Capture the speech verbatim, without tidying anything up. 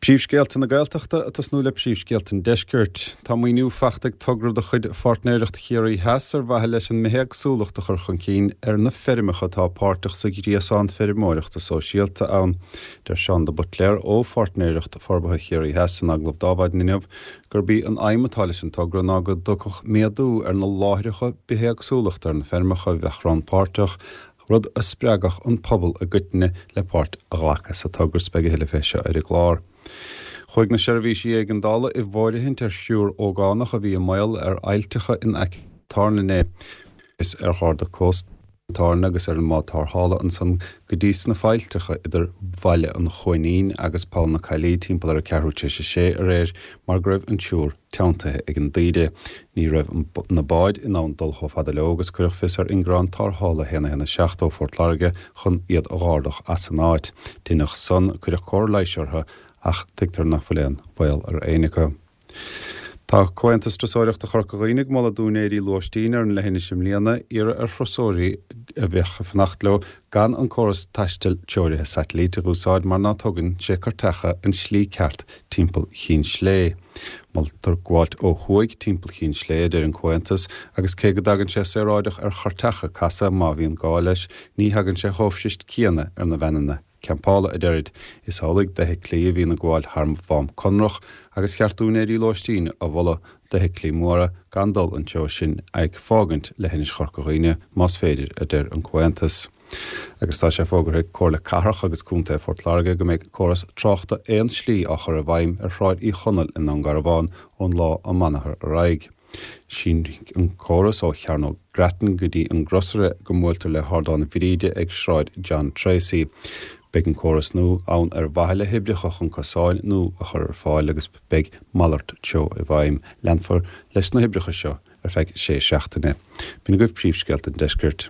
Príomhscéalta na Gaeltachta ag tosnú le príomhscéalta an Deiscirt. Tá maoiniú faighte ag togra de chuid Pháirtnéireacht Chiarraí Theas ar mhaithe leis an mbithéagsúlacht a chur chun cinn ar na feirmeacha atá páirteach sa ghréasán feirmeoireachta sóisialta ann. Deir Seán de Buitléar ó Pháirtnéireacht Forbartha Chiarraí Theas in agallamh d'Adhmhaidin inniu gurb í an aidhm atá leis an togra ná go dtiocfadh méadú ar na láithreacha bithéagsúlachta ar na feirmeacha a bheadh rannpháirteach rud a spreagfadh an pobal i gcoitinne le páirt a ghlacadh sa togra is beidh a thuilleadh fé seo ar an gclár. Chuaigh na seirbhísí éigeandála i bhfóirithint ar thriúr ógánach a bhí i mbaol ar aillteacha in aice Táirne inné. Is ar Gharda Cósta Táirne agus ar an mbád tarrthála ansan go dtí sna faillteacha idir Bhaile an Chuainín agus Poll na Caillí timpeall ar a ceathrú tar éis a sé aréir mar go raibh an triúr teanntaithe ag an dtaoide. Ní raibh na báid in ann dul chomh fada leo agus cuireadh fios ar ingearán tarrthála a haon a haon a seacht ó Phort Láirge chun iad a dh'ardach as an áit. Deineadh san, cuireadh cóir leighis orthu ach tuigtear nach bhfuil aon bhaol ar éinne acu. Tá Comhaontas Turasóireachta Chorca Dhuibhne ag moladh d'úinéirí lóistín ar an leithinis i mbliana iarraidh ar thurasóirí a bheadh ag fanacht leo gan an córas taistil treoraithe satailíte a úsáid mar ná tugann sé cairteacha an tslí ceart timpeall Chinn Slé. Moltar gabháilt ó thuaidh timpeall Chinn Slé, a deir an Comhaontas, agus cé go dtagann sé saoráideach ar chairteacha casadh má bhíonn gá leis, ní thagann sé chomh fuirist céanna ar na veaineanna campála, a deirid. Is amhlaidh d'fheithiclí a bhíonn ag gabháil thar Mhám Conrach agus cheart d'úinéirí lóistín a mholadh d'fheithiclí móra gan dul an treo sin ag fágaint leithinis Chorca Dhuibhne más féidir, a deir an Comhaontas. Agus tá sé fógartha ag Comhairle Cathrach agus Contae Phort Láirge go mbeidh córas tráchta aon slí á chur i bhfeidhm ar Shráid Uí Chonaill i nDún Garbhán ón lá amárach ar aghaidh. Sínfidh an córas ó Chearnóg Grattan go dtí an gcrosaire go mbuailtear le hArdán Bhríde ag Sráid John Treacy. Beidh an córas nua ann ar mhaithe le hoibreacha chun cosáin nua a chur ar fáil agus beidh malairt treo i bhfeidhm. Leanfar leis na hoibreacha seo ar feadh sé seachtaine. B'in agaibh príomhscéalta an deiscirt.